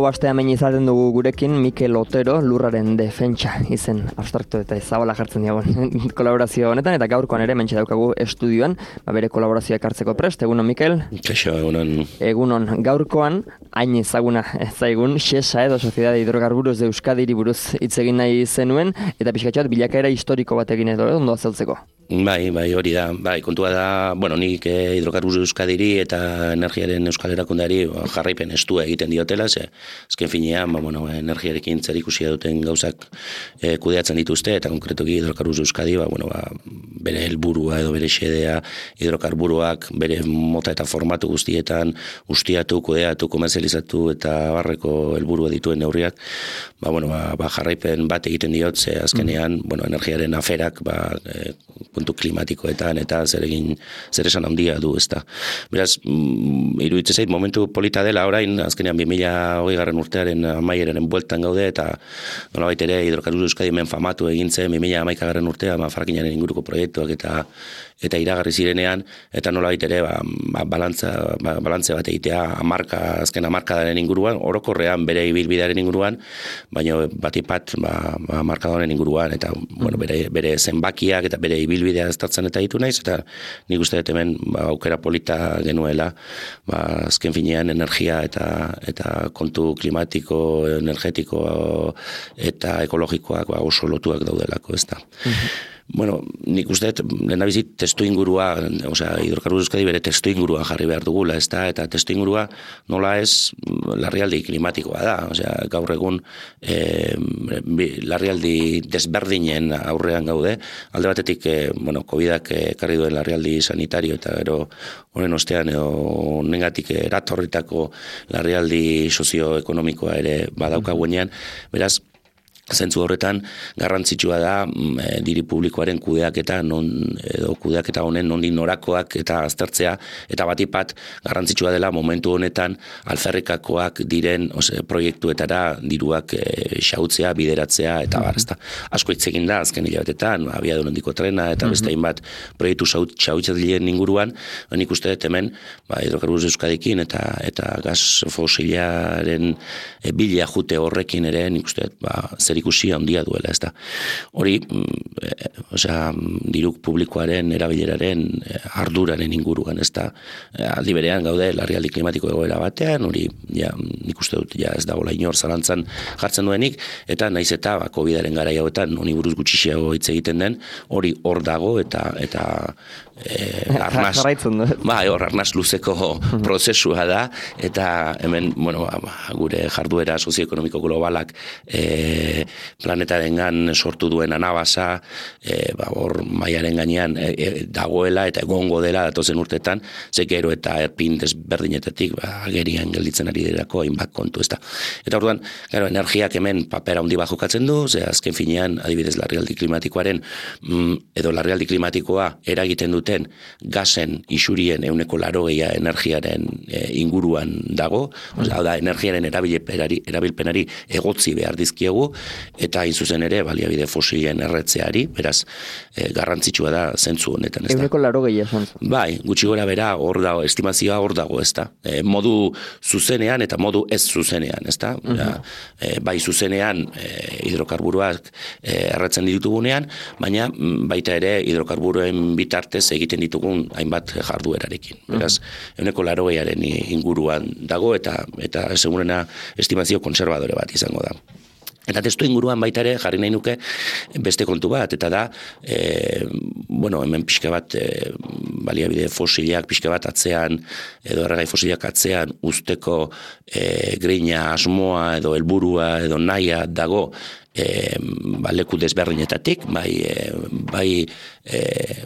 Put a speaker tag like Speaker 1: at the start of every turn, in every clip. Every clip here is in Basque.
Speaker 1: Hau aste hemen izaten dugu gurekin Mikel Otero, Lurraren Defentsa izen abstraktu eta zabala jartzen diagon kolaborazio honetan, eta gaurkoan ere mentxe daukagu estudioan, bere kolaborazioa ekartzeko prest. Egunon, Mikel?
Speaker 2: Kaixo, egunon.
Speaker 1: Egunon, gaurkoan, hain ezaguna zaigun, Shesa edo Sociedad de Hidrocarburos de Euskadiri buruz hitz egin nahi zenuen, eta pixkatxoat bilakaera historiko bat egin edo, ondo azaltzeko.
Speaker 2: Bai, hori da. Bai, kontua da, nik Hidrocarburos de Euskadiri eta energiaren Euskal Erakundeari jarraipen estua egiten diotela, azken finean, energiarekin zerikusia duten gauzak kudeatzen dituzte, eta konkretuki Hidrocarburos de Euskadi, bere helburua edo bere xedea hidrokarburoak bere mota eta formatu guztietan ustiatu, kudeatu, komerzializatu eta barreko helburua dituen neurriak, jarraipen bat egiten diot, ze azkenean, energiaren aferak, kontu klimatikoetan eta zer esan handia du, ezta. Beraz, iruditzen zait momentu polita dela orain, azkenean 2020 urtearen amaieraren bueltan gaude, eta nolabait ere Hidrocarburos de Euskadi hemen famatu egin zen 2011 urtean frackingaren inguruko proiektuak eta iragarri zirenean, eta nolabait ere balantze bat egitea azken hamarkadaren inguruan, orokorrean bere ibilbidearen inguruan, baina batipat hamarkadaren inguruan, eta bere zenbakiak eta bere ibilbidea aztertzen eta ditu naiz, eta nik uste dut hemen aukera polita genuela, azken finean energia eta kontu klimatiko, energetiko eta ekologikoak oso lotuak daudelako, ez da. Nik uste dut, lehenabizit testu ingurua, Hidrocarburos de Euskadi bere testu ingurua jarri behar dugula, ez da, eta testu ingurua nola ez larrialdi klimatikoa da, gaur egun larrialdi desberdinen aurrean gaude, alde batetik, COVID-ak ekarri duen larrialdi sanitario, eta gero honen ostean, nengatik eratorritako larrialdi sozioekonomikoa ere badaukaguenean, beraz, zentzu horretan garrantzitsua da diri publikoaren kudeaketa honen nondik norakoak eta aztertzea, eta batipat garrantzitsua dela momentu honetan alferrikakoak diren proiektuetara diruak xautzea, bideratzea eta asko hitz egin da azken hilabetetan, abiadura handiko trena eta beste hainbat proiektu xautzaileen inguruan, nik uste dut hemen Hidrocarburos de Euskadikin eta gas fosilaren bila jute horrekin ere nik uste dut ikusia handia duela, ez da. Hori, diruk publikoaren, erabileraren, arduraren inguruan, ez da. Aldi berean gaude, larrialdi klimatiko egoera batean, hori, nik uste dut, ez da, inor zalantzan jartzen duenik, eta naiz eta, COVID-aren garai hauetan, honi buruz gutxixiago hitz egiten den, hori hor dago, eta arnaz luzeko prozesua da, eta hemen, gure jarduera sozioekonomiko globalak planetarengan sortu duen anabasa, hor maiaren gainean dagoela eta egongo dela datozen urtetan, zekero eta erpin desberdinetatik agerian gelditzen ari derako hainbat kontu, ezta. Eta orduan, energiak hemen papera handi bat jokatzen du, azken finean, adibidez larrialdi klimatikoaren edo larrialdi klimatikoa eragiten duten gasen isurien 80% energiaren inguruan dago, da energiaren erabilpenari egotzi behar dizkiegu, eta hain zuzen ere baliabide fosilen erretzeari, beraz garrantzitsua da zentzu honetan, ez da.
Speaker 1: 80% esan.
Speaker 2: Bai, gutxi gora bera hor dago, estimazioa hor dago, ez da. Modu zuzenean eta modu ez zuzenean, ez da. Bai zuzenean hidrokarburoak erretzen ditugunean, baina baita ere hidrokarburoen bitartez egiten ditugun hainbat jarduerarekin. Beraz, 80%aren inguruan dago eta segurena estimazio konservadore bat izango da. Eta testu inguruan baita ere jarri nahi nuke beste kontu bat, eta da, hemen pixka bat baliabide fosilak pixka bat atzean, edo erregai fosilak atzean usteko greina asmoa edo helburua edo nahia dago leku desberdinetatik, bai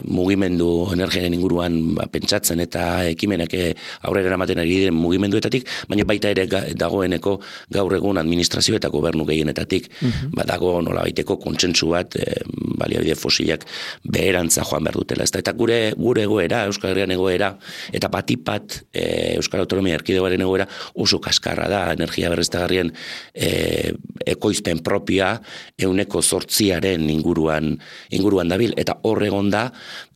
Speaker 2: mugimendu energiaren inguruan pentsatzen eta ekimenak aurrera eramaten ari diren mugimenduetatik, baina baita ere dagoeneko gaur egun administrazio eta gobernu gehienetatik dago nolabaiteko kontsentsu bat baliabide fosilak beherantza joan behar dutela. Eta gure egoera, Euskal Herrian egoera, eta batipat Euskal Autonomia Erkidegoaren egoera oso kaskarra da, energia berriztagarrien ekoizpen propioa 8% inguruan dabil, eta horregon da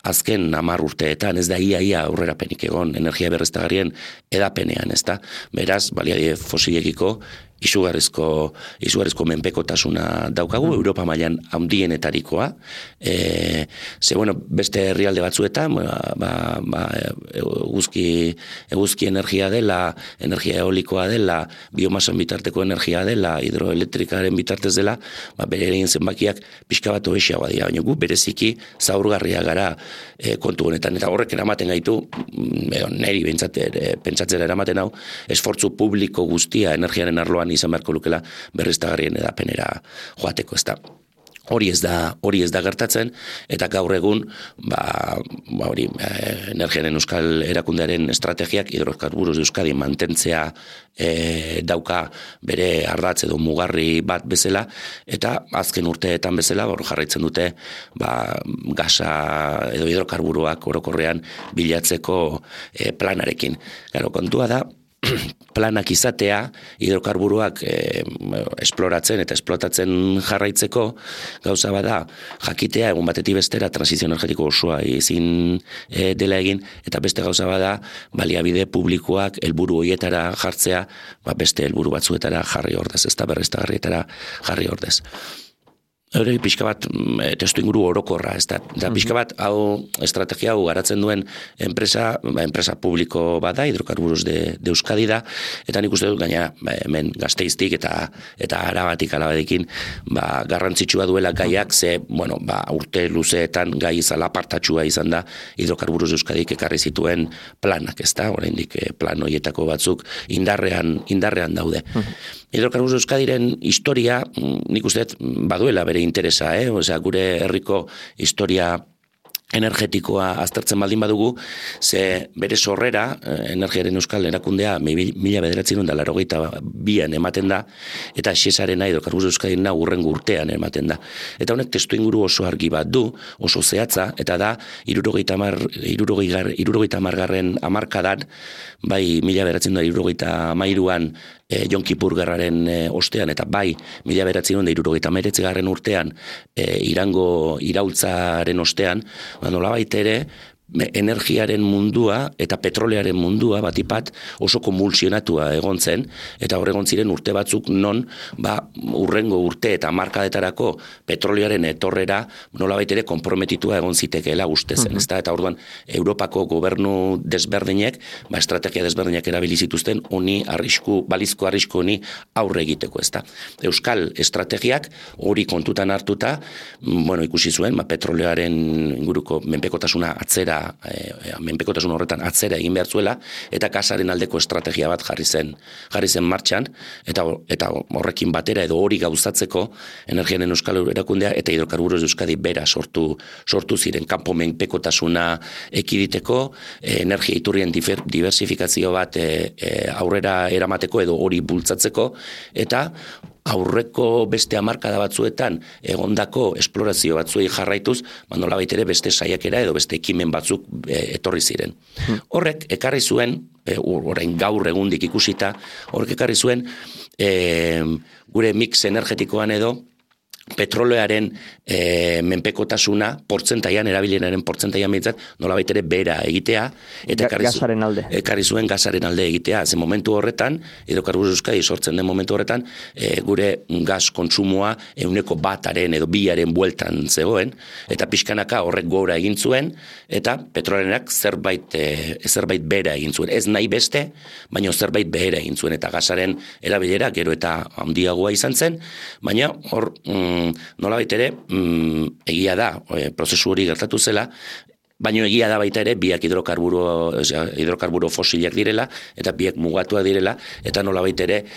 Speaker 2: azken 10 urteetan, ez da ia aurrerapenik egon energia berriztagarrien edapenean, ez da. Beraz, baliabide fosilekiko izugarrizko menpekotasuna daukagu, Europa mailan handienetarikoa. Beste herrialde batzuetan, eguzki energia dela, energia eolikoa dela, biomasan bitarteko energia dela, hidroelektrikaren bitartez dela, bere egin zenbakiak pixka bat hobexeagoa dira, baina gu bereziki zaurgarria gara kontu honetan, eta horrek eramaten gaitu, neri pentsatzera eramaten hau, esfortzu publiko guztia energiaren arloan izan beharko lukela berriztagarrien edapenera joateko, ezta. Hori ez da gertatzen, eta gaur egun, energiaren euskal erakundearen estrategiak hidrokarburos de Euskadi mantentzea dauka bere ardatz edo mugarri bat bezala, eta azken urteetan bezala, jarraitzen dute, gasa edo hidrokarburoak orokorrean bilatzeko planarekin. Gero, kontua da, planak izatea, hidrokarburoak esploratzen eta esplotatzen jarraitzeko, gauza bada, jakitea egun batetik bestera transizio energetiko osoa ezin dela egin, eta beste gauza bada, baliabide publikoak helburu horietara jartzea, beste helburu batzuetara jarri ordez, ez da berriztagarrietara jarri ordez. Hori pixka bat testu inguru orokorra, ez da pixka bat hau estrategia hau garatzen duen enpresa publiko bada, hidrokarburos de Euskadi da, eta nik uste dut gaina hemen Gasteiztik eta Arabatik alabadekin garrantzitsua duela gaiak, urte luzeetan gai izan apartatxua izan da hidrokarburos de Euskadik ekarri zituen planak, ez da, oraindik plan horietako batzuk indarrean daude. Hidrokarburos de Euskadiren historia, nik uste baduela bere interesa, gure herriko historia energetikoa aztertzen baldin badugu, ze bere sorrera, energiaren euskal erakundea 1992an ematen da, eta Shesarena hidrokarburos de Euskadina hurrengo urtean ematen da. Eta honek testu inguru oso argi bat du, oso zehatza, eta da 70. hamarkadan, bai 1973an Jon Kipur gerraren ostean, eta bai 1979 urtean Irango iraultzaren ostean, nolabait ere, energiaren mundua eta petrolearen mundua batipat oso konvulsionatua egon zen, eta horregon ziren urte batzuk non urrengo urte eta markadetarako petrolearen etorrera nolabait ere konprometitua egon zitekeela uste zen, eta orduan Europako gobernu desberdinek, estrategia desberdinak erabili zituzten balizko arrisku honi aurre egiteko, ezta. Euskal estrategiak hori kontutan hartuta, ikusi zuen, petrolearen inguruko menpekotasuna menpekotasun horretan atzera egin behar zuela, eta gasaren aldeko estrategia bat jarri zen martxan, eta horrekin batera edo hori gauzatzeko energiaren euskal erakundea eta hidrokarburos de Euskadi bera sortu ziren, kanpo menpekotasuna ekiditeko, energia iturrien diversifikazio bat aurrera eramateko edo hori bultzatzeko, eta aurreko beste hamarkada batzuetan egondako esplorazio batzuei jarraituz, nolabait ere beste saiakera edo beste ekimen batzuk etorri ziren. Horrek ekarri zuen, orain gaur egundik ikusita, horrek ekarri zuen gure mix energetikoan edo petrolearen menpekotasuna portzentaian, erabilienaren portzentaian behintzat, nolabait ere bera egitea, eta ekarri zuen gasaren alde egitea. Ze momentu horretan, hidrokarburos de Euskadi sortzen den momentu horretan, gure gas kontsumoa 1% edo 2% bueltan zegoen, eta pixkanaka horrek gora egin zuen, eta petrolearenak zerbait bera egin zuen. Ez nahi beste, baina zerbait bera egin zuen, eta gasaren erabilera gero eta handiagoa izan zen, baina hor nolabait ere, egia da, prozesu hori gertatu zela, baina egia da baita ere, biak hidrokarburo fosilak direla, eta biak mugatuak direla, eta nolabait ere,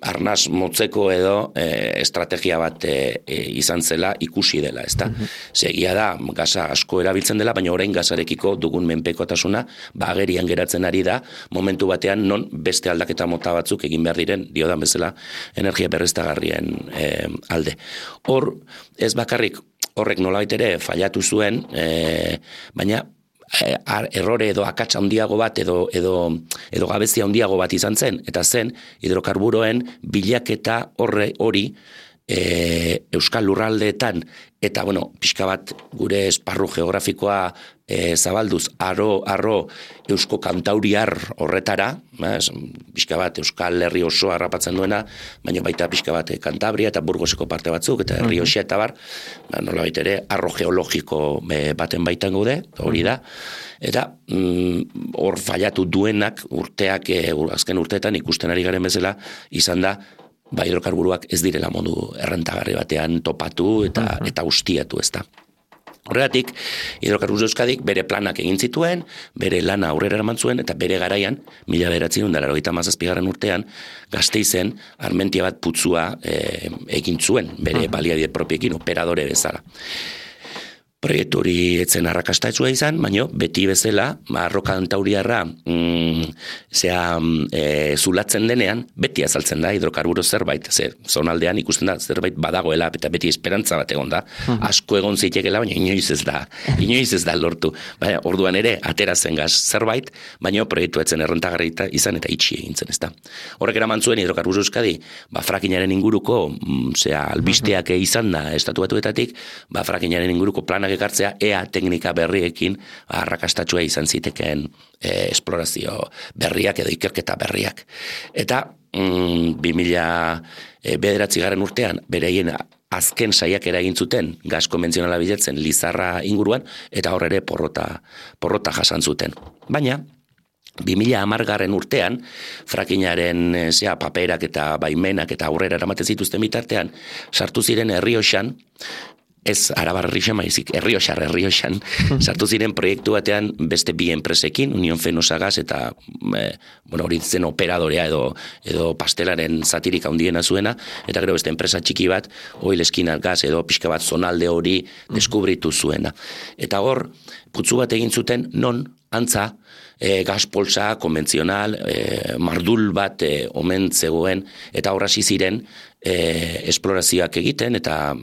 Speaker 2: arnaz motzeko edo estrategia bat izan zela ikusi dela, ezta? Egia da, gaza asko erabiltzen dela, baina orain gazarekiko dugun menpekotasuna, agerian geratzen ari da, momentu batean non beste aldaketa mota batzuk egin behar diren, diodan bezala, energia berriztagarrien alde. Hor, ez bakarrik, horrek nolabait ere fallatu zuen, baina errore edo akats handiago bat edo gabezia handiago bat izan zen, eta zen hidrokarburoen bilaketa hori Euskal Lurraldeetan, eta, pixka bat gure esparru geografikoa zabalduz, arro Eusko Kantauriar horretara, pixka bat Euskal Herri osoa harrapatzen duena, baina baita pixka bat Kantabria eta Burgoseko parte batzuk, eta Errioxa eta bar, nolabait ere, arro geologiko baten baitan gaude, hori da, eta hor fallatu duenak urteak, azken urteetan ikusten ari garen bezala, izan da, hidrokarburuak ez direla modu errentagarri batean topatu eta ustiatu, ez da. Horregatik, Hidrocarburos de Euskadik bere planak egin zituen, bere lana aurrera eraman zuen, eta bere garaian, 1997 urtean, Gasteizen Armentia bat putzua egin zuen, bere baliabide propiekin operadore bezala. Proiektu hori etzen arrakastatzua izan, baina beti bezala, arro kantauriarra zulatzen denean, beti azaltzen da hidrokarburo zerbait, zonaldean ikusten da zerbait badagoela, eta beti esperantza bat egon da, asko egon zitekela, baina inoiz ez da lortu. Baina, orduan ere, atera zen gaz zerbait, baina proiektu etzen errentagarri izan eta itxi egin zen, ezta. Horrek eraman zuen Hidrocarburos de Euskadi, frackingaren inguruko, albisteak izan da estatu batuetatik, frackingaren inguruko planak ekartzea, ea teknika berriekin arrakastatsua izan zitekeen esplorazio berriak edo ikerketa berriak. Eta 2009 urtean, bereien azken saiakera egin zuten gas konbentzionala bilatzen Lizarra inguruan, eta hor ere porrota jasan zuten. Baina, 2010 urtean, frackingaren paperak eta baimenak eta aurrera eramaten zituzten bitartean, sartu ziren Errioxan, ez Arabar Errioxan, maizik Errioxan, sartu ziren proiektu batean beste bi enpresekin, Unión Fenosa Gas eta hori zen operadorea edo pastelaren zatirik handiena zuena, eta gero beste enpresa txiki bat, Oil Eskinal Gas edo pixka bat zonalde hori deskubritu zuena. Eta hor, putzu bat egin zuten non antza gas polsa konbentzional, mardul bat omen zegoen, eta hor hasi ziren esplorazioak egiten eta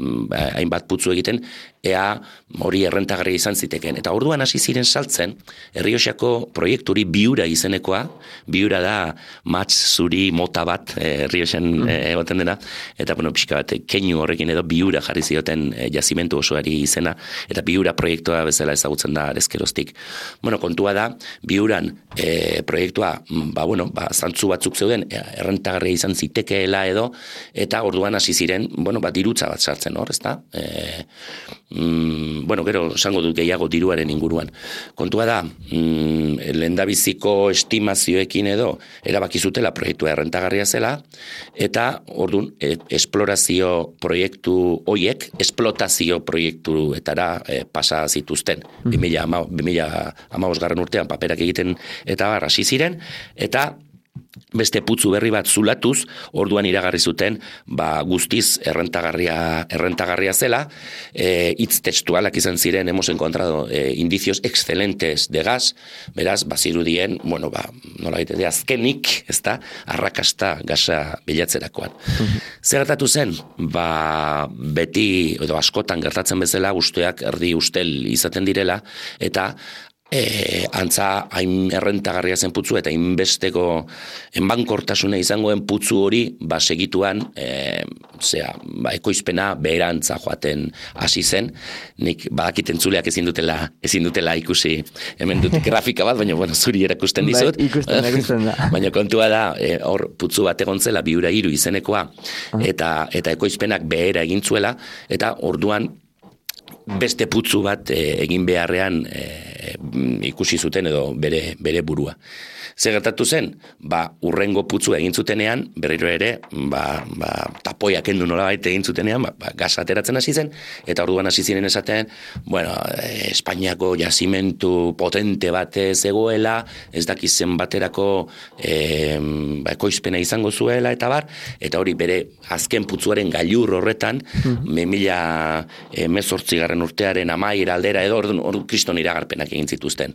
Speaker 2: hainbat putzu egiten, ea hori errentagarria izan ziteken. Eta orduan hasi ziren saltzen, Errioxako proiekturi Biura izenekoa, Biura da matz zuri mota bat Errioxan egoten dena, eta pixka bat keinu horrekin edo Biura jarri zioten jazimentu osoari izena, eta Biura proiektua bezala ezagutzen da arezkeroztik. Kontua da, Biuran proiektua, zantzu batzuk zeuden, errentagarria izan zitekeela edo, eta orduan hasi ziren, dirutza bat sartzen hor, ezta? Gero, esango dut gehiago diruaren inguruan. Kontua da, lehendabiziko estimazioekin edo, erabaki zutela proiektua errentagarria zela, eta orduan, esplorazio proiektu hoiek, esplotazio proiektuetara pasa zituzten. 2015 urtean paperak egiten eta hasi ziren, eta beste putzu berri bat zulatuz, orduan iragarri zuten, guztiz errentagarria zela, hitz testualak izan ziren, hemos encontrado indicios excelentes de gas, beraz, bazirudien, nolabait ere azkenik, ezta, arrakasta gasa bilatzerakoan. Zer gertatu zen? Beti, edo askotan gertatzen bezala, usteak erdi ustel izaten direla, eta antza hain errentagarria zen putzu eta hainbesteko enbankortasuna izangoen putzu hori segituan ekoizpena beherantza joaten hasi zen. Nik badakit entzuleak ezin dutela ikusi hemen dut grafika bat, baina zuri erakusten dizut.
Speaker 1: Ikusten da.
Speaker 2: Baina kontua da, hor putzu bat egon zela Biura 3 izenekoa eta ekoizpenak behera egin zuela, eta orduan beste putzu bat egin beharrean ikusi zuten edo bere burua. Zer gertatu zen? Urrengo putzu egin zutenean, berriro ere, tapoiak endu nolabait egin zutenean, gas ateratzen hasi zen, eta orduan hasi ziren esaten, Espainiako jazimentu potente bat zegoela, ez dakizen baterako ekoizpena izango zuela, eta hori bere azken putzuaren gailur horretan, 2018 garren urtearen amaiera aldera edo hor kriston iragarpenak egin zituzten.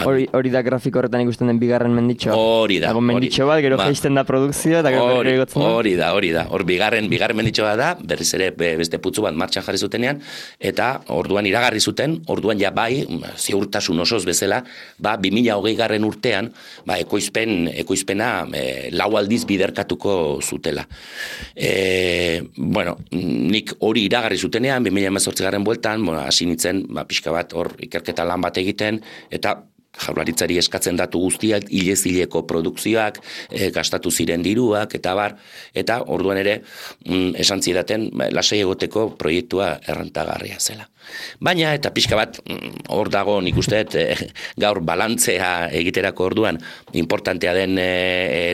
Speaker 1: Hori da grafiko horretan ikusten den bigarren menditxoa.
Speaker 2: Hori da.
Speaker 1: Dago menditxo bat, gero jaisten da produkzioa, eta gero berriro egotzen da.
Speaker 2: Hori da. Hor bigarren menditxoa da, berriz ere beste putzu bat martxan jarri zutenean, eta orduan iragarri zuten, orduan ja bai, ziurtasun osoz bezala, 2020 garren urtean, ekoizpena lau aldiz biderkatuko zutela. Nik hori iragarri zutenean, 2018 garren bueltan, hasi nintzen, pixka bat hor ikerketa lan bat egiten, eta Jaurlaritzari eskatzen datu guztiak, hilez-hileko produkzioak, gastatu ziren diruak, eta orduan ere, esan zidaten, lasai egoteko proiektua errentagarria zela. Baina, eta pixka bat, hor dago nik usteet, gaur balantzea egiterako orduan, importantea den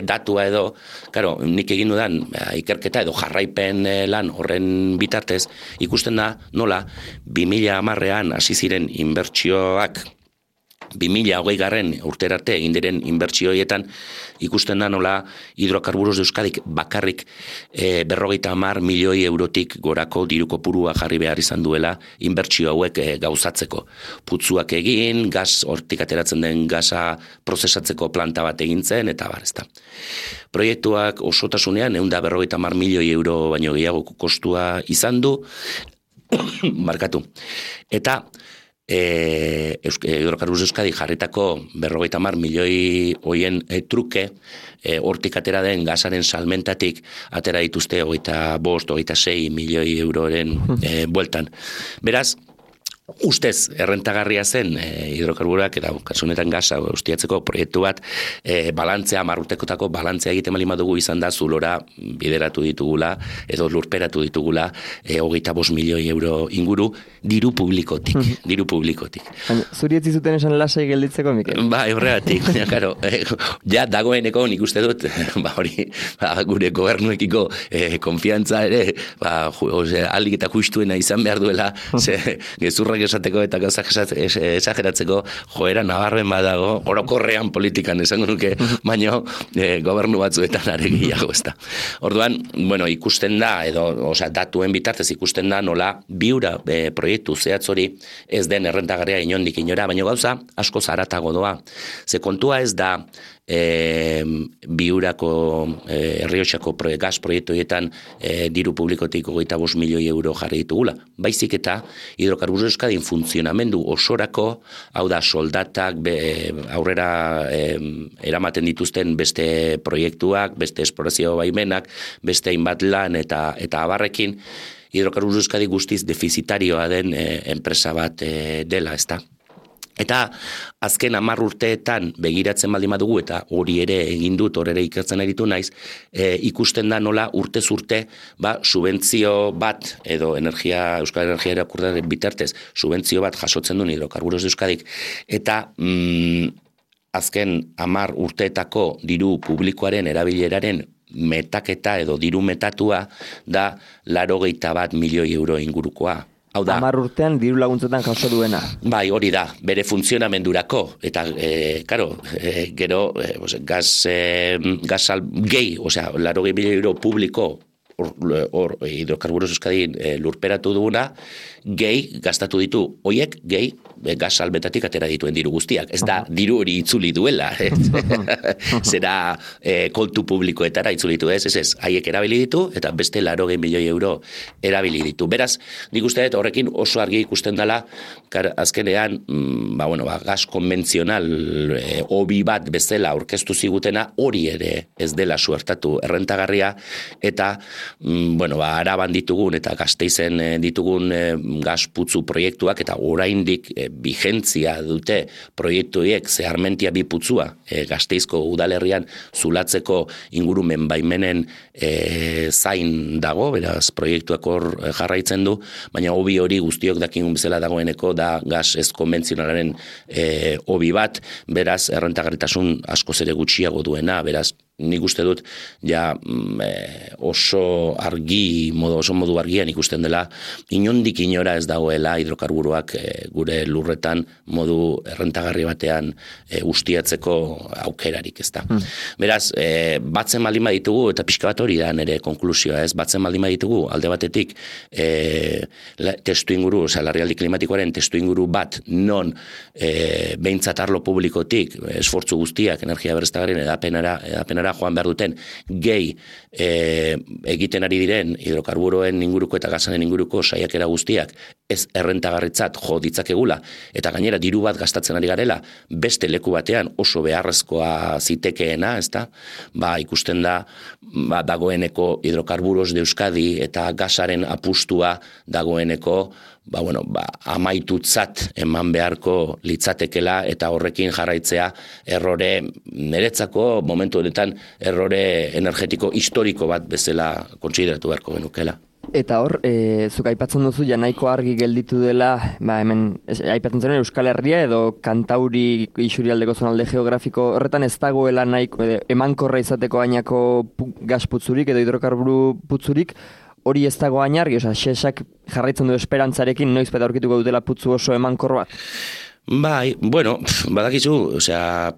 Speaker 2: datua edo, karo, nik egin dudan ikerketa edo jarraipen lan horren bitartez, ikusten da nola, 2010an hasi ziren inbertsioak, 2020 garren urterarte egin diren inbertsioietan ikusten da nola Hidrocarburos de Euskadik bakarrik 50 milioi eurotik gorako diru kopurua jarri behar izan duela inbertsio hauek gauzatzeko. Putzuak egin, gas hortik ateratzen den gasa prozesatzeko planta bat egin zen, eta ezta. Proiektuak osotasunean 150 milioi euro baino gehiago kostua izan du, markatu. Eta Hidrocarburos Euskadi jarritako 50 milioi hoien truke hortik atera den gasaren salmentatik atera dituzte 25-26 milioi euroren bueltan. Beraz, ustez errentagarria zen hidrokarburak eta kasunetan gasa ustiatzeko proiektu bat balantzea, 10 urtekotako balantzea egiten baldin badugu izan da zulora bideratu ditugula edo lurperatu ditugula 25 milioi euro inguru diru publikotik.
Speaker 1: Zuri ez zuten esan lasai gelditzeko, Mikel?
Speaker 2: Horregatik, karo, ja dagoeneko nik uste dut, gure gobernuekiko konfiantza ere, aldik eta justuena izan behar duela, gezurrak esateko eta gauzak esageratzeko joera nabarmen badago, orokorrean politikan esango nuke, baino gobernu batzuetan are gehiago ezta. Orduan, ikusten da, datuen bitartez ikusten da nola biura proiektu zehatz hori ez den errentagarria inondik inora, baina gauza asko zaratago doa. Ze kontua ez da biurako Errioxako gas proiektuetan diru publikotik 25 milioi euro jarri ditugula. Baizik eta Hidrocarburos Euskadin funtzionamendu osorako, hau da soldatak aurrera eramaten dituzten beste proiektuak, beste esplorazio baimenak, beste hainbat lan eta abarrekin, Hidrocarburos Euskadi guztiz defizitarioa den enpresa bat dela, ezta. Eta azken 10 urteetan begiratzen baldin badugu eta hori ere egin dut, hor ere ikertzen aritu naiz, ikusten da nola urtez urte subentzio bat edo Euskal Energia Erakundaren bitartez subentzio bat jasotzen duen Hidrocarburos de Euskadik eta azken 10 urteetako diru publikoaren erabileraren metaketa edo diru metatua da 81 milioi euro ingurukoa.
Speaker 1: 10 urtean diru laguntzetan jaso duena.
Speaker 2: Bai, hori da, bere funtzionamendurako. Eta, gero, gasal gehi, 80 milioi euro publiko hor Hidrocarburos Euskadin lurperatu duguna, gehi gastatu ditu, hoiek gehi gas salmentatik atera dituen diru guztiak. Ez da, diru hori itzuli duela. Zera kontu publikoetara itzuli ditu, ez, haiek erabili ditu, eta beste 80 milioi euro erabili ditu. Beraz, nik uste dut horrekin oso argi ikusten dela, azkenean, gas konbentzional hobi bat bezala aurkeztu zigutena, hori ere ez dela suertatu errentagarria, eta Araban ditugun eta Gasteizen ditugun gasputzu proiektuak eta oraindik bigentzia dute proiektuiek zeharmentia bi putzua Gasteizko udalerrian zulatzeko ingurumen baimenen zain dago, beraz proiektuak hor jarraitzen du, baina hobi hori guztiok dakigun bezala dagoeneko da gas ez konbentzionalaren hobi bat, beraz errentagarritasun askoz ere gutxiago duena, beraz nik uste dut ja oso modu argian ikusten dela inondik inora ez dagoela hidrokarburoak gure lurretan modu errentagarri batean ustiatzeko aukerarik, ezta. Beraz, batzen baldin baditugu, eta pixka bat hori da nire konklusioa, ez, batzen baldin baditugu alde batetik testu inguru, larrialdi klimatikoaren testu inguru bat non behintzat arlo publikotik esfortzu guztiak energia berriztagarrien edapenara joan behar duten gehi egiten ari diren hidrokarburoen inguruko eta gasaren inguruko saiakera guztiak ez errentagarritzat jo ditzakegula eta gainera diru bat gastatzen ari garela beste leku batean oso beharrezkoa zitekeena, ezta? Ikusten da dagoeneko hidrokarburos de Euskadi eta gasaren apustua dagoeneko amaitutzat eman beharko litzatekela eta horrekin jarraitzea errore niretzako momentu honetan errore energetiko historiko bat bezala kontsideratu beharko genukela.
Speaker 1: Eta hor, zuk aipatzen duzu ja nahiko argi gelditu dela, hemen aipatzen zen Euskal Herria edo Kantauri isurialdeko zonalde geografiko horretan ez dagoela nahiko emankorra izateko gainako gas putzurik edo hidrokarburu putzurik, hori ez dago argi, xesak jarraitzen du esperantzarekin noiz beta aurkituko dutela putzu oso emankor bat.
Speaker 2: Bai, bueno, badakizu,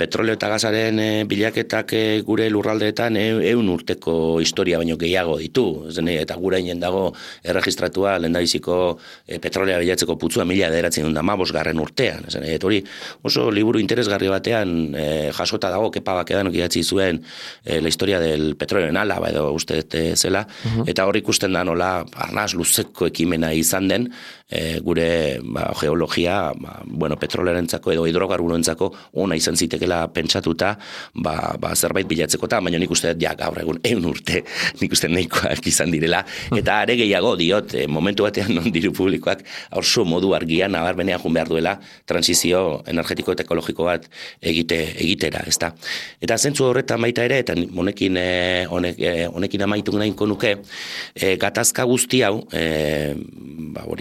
Speaker 2: petroleo eta gasaren bilaketak gure lurraldeetan 100 urteko historia baino gehiago ditu, eta gurainen dago erregistratua lehendabiziko petrolea bilatzeko putzua 1915 urtean. Hori oso liburu interesgarri batean jasota dago, Kepa Bakedanok idatzi zuen la historia del petroleo en Álava edo uste zela, eta hor ikusten da nola arnaz luzeko ekimena izan den gure geologia, petrolearentzako edo hidrokarburoentzako ona izan zitekela pentsatuta, zerbait bilatzeko eta, baina nik uste dut gaur egun 100 urte nik uste nahikoak izan direla, eta are gehiago diot, momentu batean non diru publikoak oso modu argian nabarmenean joan behar duela transizio energetiko eta ekologiko bat egitera, ezta. Eta zentzu horretan baita ere, eta honekin amaitu nahiko nuke, gatazka guzti hau,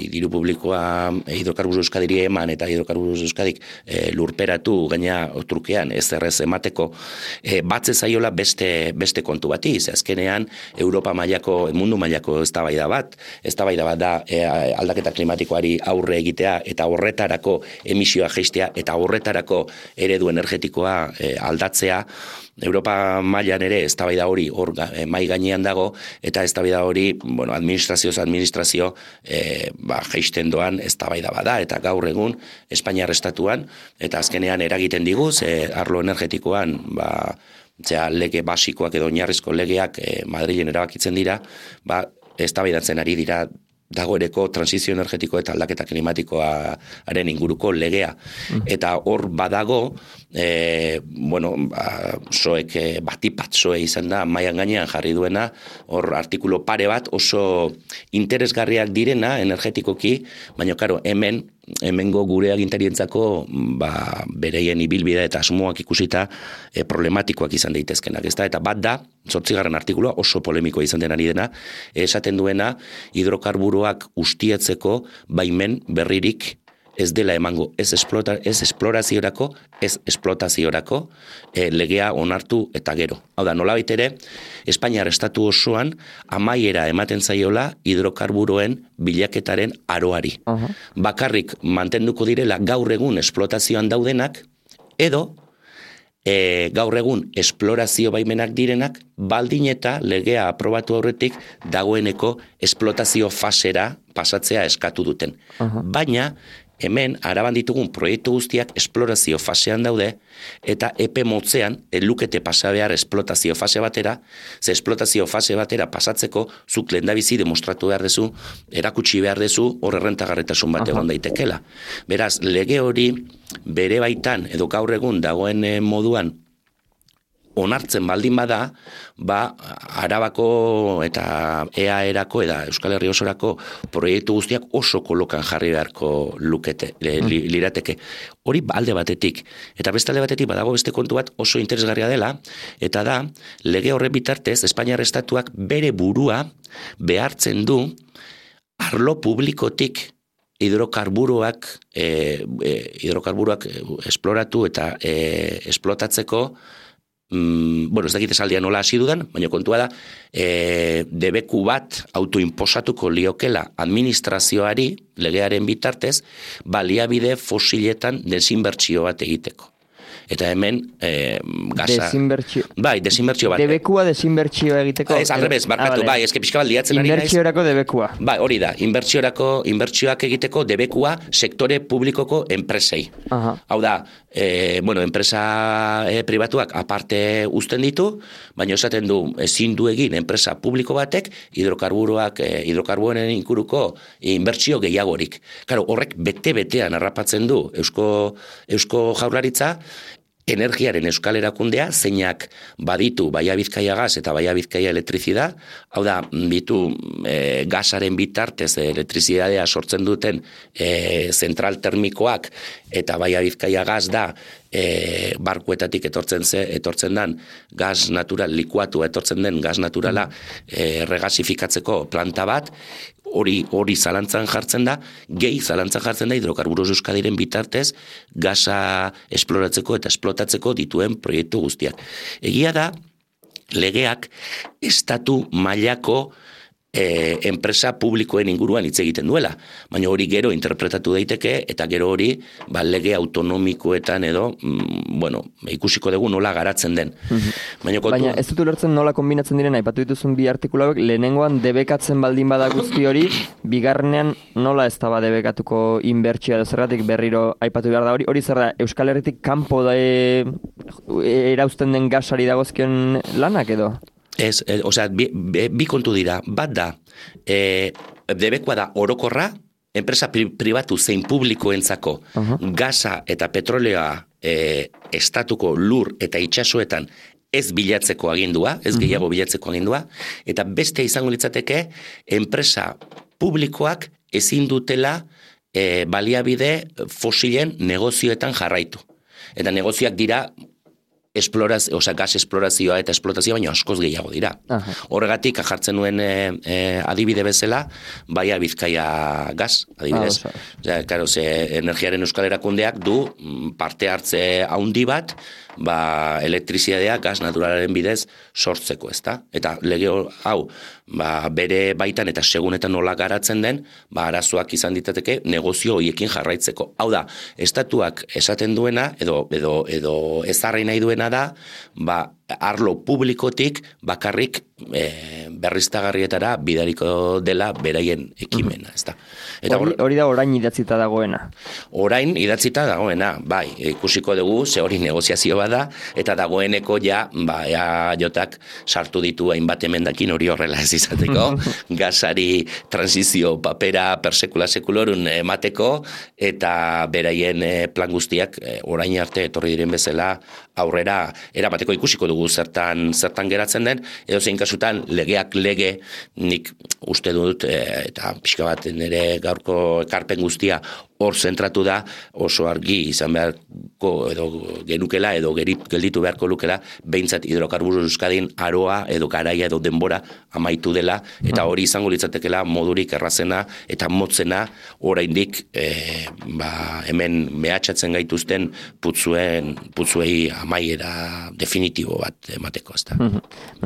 Speaker 2: diru publikoa hidrokarburo Euskadiri eman eta hidrokarburo Euskadik lurperatu gaina trukean ezerrez emateko batze zaiola beste kontu bati, azkenean Europa mailako, mundu mailako eztabaida bat da aldaketa klimatikoari aurre egitea eta horretarako emisioa jaistea eta horretarako eredu energetikoa aldatzea. Europa mailan ere eztabaida hori hor mai gainean dago eta eztabaida hori, administrazio jaisten doan eztabaida bada eta gaur egun Espainiar estatuan eta azkenean eragiten diguz arlo energetikoan lege basikoak edo oinarrizko legeak Madrilen erabakitzen dira, eztabaidatzen ari dira dagoeneko transizio energetiko eta aldaketa klimatikoaren inguruko legea. Eta hor badago, soek batipat soe izan da, mailan gainean jarri duena, hor artikulu pare bat oso interesgarriak direna energetikoki, baina karo, hemengo gure agintarientzako bereien ibilbidea eta asmoak ikusita problematikoak izan daitezkenak, ezta? Eta bat da, 8. artikulua oso polemikoa izan denari dena, esaten duena hidrokarburoak ustiatzeko baimen berririk ez dela emango, ez esploraziorako, ez esplotaziorako legea onartu eta gero. Hau da, nolabait ere, Espainiar estatu osoan amaiera ematen zaiola hidrokarburoen bilaketaren aroari. Bakarrik mantenduko direla gaur egun esplotazioan daudenak, edo gaur egun esplorazio baimenak direnak, baldin eta legea aprobatu aurretik dagoeneko esplotazio fasera pasatzea eskatu duten. Baina, hemen, Araban ditugun proiektu guztiak esplorazio fasean daude, eta epe motzean, lukete pasa behar esplotazio fase batera, ze esplotazio fase batera pasatzeko, zuk lehendabizi demostratu behar dezu, erakutsi behar dezu, hor errentagarretasun bat egon daitekela. Beraz, lege hori bere baitan, edo gaur egun dagoen moduan, onartzen baldin bada, Arabako eta EAE-erako eta Euskal Herri osorako proiektu guztiak oso kolokan jarri beharko lirateke. Hori alde batetik. Eta beste alde batetik badago beste kontu bat oso interesgarria dela, eta da, lege horren bitartez, Espainiar estatuak bere burua behartzen du arlo publikotik hidrokarburoak esploratu eta esplotatzeko bueno, ez dakit esaldia nola hasi dudan, baina kontua da, debeku bat autoinposatuko liokela administrazioari, legearen bitartez, baliabide fosiletan desinbertsio bat egiteko. Eta hemen gaza...
Speaker 1: Desinbertsio.
Speaker 2: Bai, desinbertsio bat.
Speaker 1: Debekua desinbertsio egiteko.
Speaker 2: Ez, alrebez, barkatu, bai, eske pixka bat liatzen ari naiz.
Speaker 1: Inbertsiorako debekua.
Speaker 2: Bai, hori da, inbertsioak egiteko debekua sektore publikoko enpresei. Hau da, enpresa pribatuak aparte uzten ditu, baina esaten du ezin du egin enpresa publiko batek hidrokarburoen inguruko inbertsio gehiagorik. Claro, horrek bete-betean harrapatzen du Eusko Jaurlaritza, energiaren euskal erakundea, zeinak baditu Baia Bizkaia gas eta Baia Bizkaia elektrizida, hau da, bitu gasaren bitartez elektrizidadea sortzen duten zentral termikoak, eta Baia Bizkaia gas da barkuetatik etortzen den gas natural, likuatu etortzen den gas naturala regasifikatzeko planta bat, hori zalantzan jartzen da, gehi zalantzan jartzen da Hidrocarburos Euskadiren bitartez gasa esploratzeko eta esplotatzeko dituen proiektu guztiak. Egia da, legeak estatu mailako enpresa publikoen inguruan hitz egiten duela, baina hori gero interpretatu daiteke eta gero hori lege autonomikoetan edo ikusiko dugu nola garatzen den.
Speaker 1: Baina ez dut ulertzen nola kombinatzen diren aipatu dituzun bi artikuluak, lehenengoan debekatzen baldin bada guzti hori, bigarrenean nola ez da debekatuko inbertsioa edo zergatik berriro aipatu behar da hori zer da, Euskal Herritik kanpo da erauzten den gasari dagozkion lanak edo?
Speaker 2: Ez, bi kontu dira. Bat da, debekoa da orokorra, enpresa pribatu zein publikoentzako gasa eta petroleoa estatuko lur eta itsasoetan ez bilatzeko agindua, ez gehiago bilatzeko agindua, eta beste izango litzateke enpresa publikoak ezin dutela baliabide fosilen negozioetan jarraitu. Eta negozioak dira gas esplorazioa eta esplotazioa, baina askoz gehiago dira. Horregatik, jartzen nuen adibide bezala, Baia Bizkaia gas, adibidez. Claro, energiaren euskal erakundeak du parte hartze haundi bat, elektrizidadea gas naturalaren bidez sortzeko, ezta? Eta lege hau, bere baitan eta segunetan nola garatzen den, arazoak izan ditateke negozio horiekin jarraitzeko. Hau da, estatuak esaten duena, edo ezarri nahi duena da, arlo publikotik bakarrik berriztagarrietara bidariko dela beraien ekimena, ezta?
Speaker 1: Hori da orain idatzita dagoena.
Speaker 2: Orain idatzita dagoena, bai, ikusiko dugu, ze hori negoziazio bada, eta dagoeneko jotak sartu ditu hainbat emendakin hori horrela ez izateko, gasari transizio papera persekula sekulorun emateko, eta beraien plan guztiak orain arte etorri diren bezala aurrera eramateko. Ikusiko dugu zertan geratzen den, edo zein kasutan legeak lege, nik uste dut, eta pixka bat nire gaurko ekarpen guztia hor zentratu da, oso argi izan beharko edo genukela edo gelditu beharko lukela, behintzat Hidrocarburos Euskadin aroa edo garaia edo denbora amaitu dela, eta hori izango litzatekela modurik errazena eta motzena oraindik hemen mehatxatzen gaituzten putzuei amaiera definitibo bat emateko, ezta.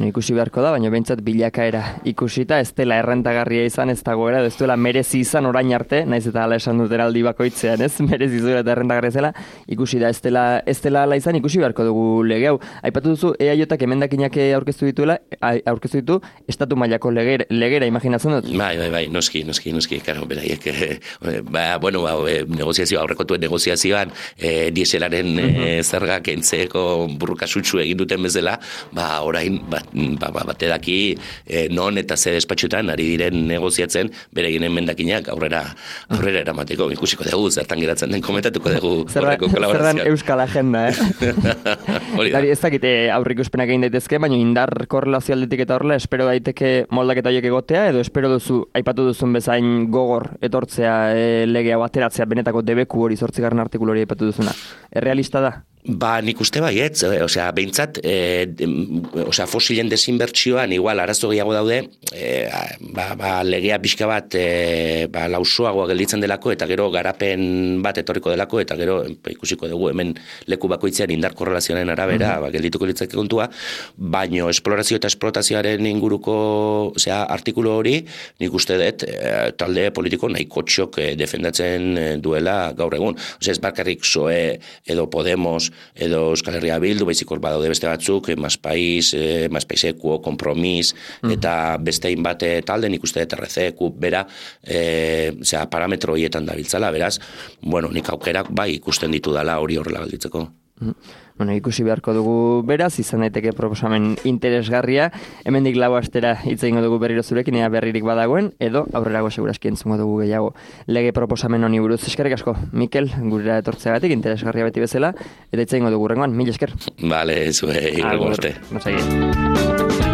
Speaker 1: Ikusi beharko da, baina behintzat bilakaera ikusita, ez dela errentagarria izan, ez dagoera, ez duela merezi izan orain arte, naiz eta hala esan dut eraldi bakoitzean, ez? Merezi zuela eta errentagarria zela, ikusi da ez dela hala izan, ikusi beharko dugu lege hau. Aipatu duzu EAJak emendakinak aurkeztu ditu estatu mailako legera, imaginatzen dut?
Speaker 2: Bai, noski, karo, beraiek, negoziazioa, aurrekotuen negoziazioan, dieselaren zergak entzeko burrukasutsu egin duten bezala, orain, bate daki non eta ze despatxutan ari diren negoziatzen beregin emendakinak aurrera eramateko, ikusiko dugu, zertan geratzen den komentatuko dugu horreko kolaborazioa.
Speaker 1: Zerran euskal agenda,
Speaker 2: Hori da.
Speaker 1: Ez dakite aurreikuspenak egin daitezke, baina indar korrelazio aldetik eta horrela, espero daiteke moldaketa horiek egotea, edo espero duzu, aipatu duzun bezain gogor etortzea legea bateratzea benetako debeku hori 8. artikulu hori aipatu duzuna. Errealista da?
Speaker 2: Nik uste baietz, behintzat, fosilen desinbertsioan igual arazo gehiago daude, legea pixka bat lausoagoa gelditzen delako, eta gero garapen bat etorriko delako, eta gero ikusiko dugu hemen leku bakoitzean indar korrelazioaren arabera, geldituko litzake kontua, baino esplorazio eta esplotazioaren inguruko artikulu hori, nik uste dut talde politiko nahiko txok defendatzen duela gaur egun. Ez bakarrik PSOE edo Podemos edo Euskal Herria Bildu, baizik hor badaude beste batzuk, Más País, Ekuo, Kompromis, eta beste hainbat talde, nik uste dut RC, bera, parametro horietan dabiltzala, beraz, nik aukerak bai ikusten ditu dala hori horrela galditzeko.
Speaker 1: Ikusi beharko dugu beraz, izan daiteke proposamen interesgarria, hemendik 4 astera hitz egingo dugu berriro zurekin, ea berririk badagoen, edo aurrerago seguraski entzungo dugu gehiago lege proposamen honi buruz. Eskerrik asko, Mikel, gurera etortzeagatik, interesgarria beti bezala, eta hitz egingo dugu rengoan, mil esker.
Speaker 2: Vale, zuei, rengo arte.
Speaker 1: Agur,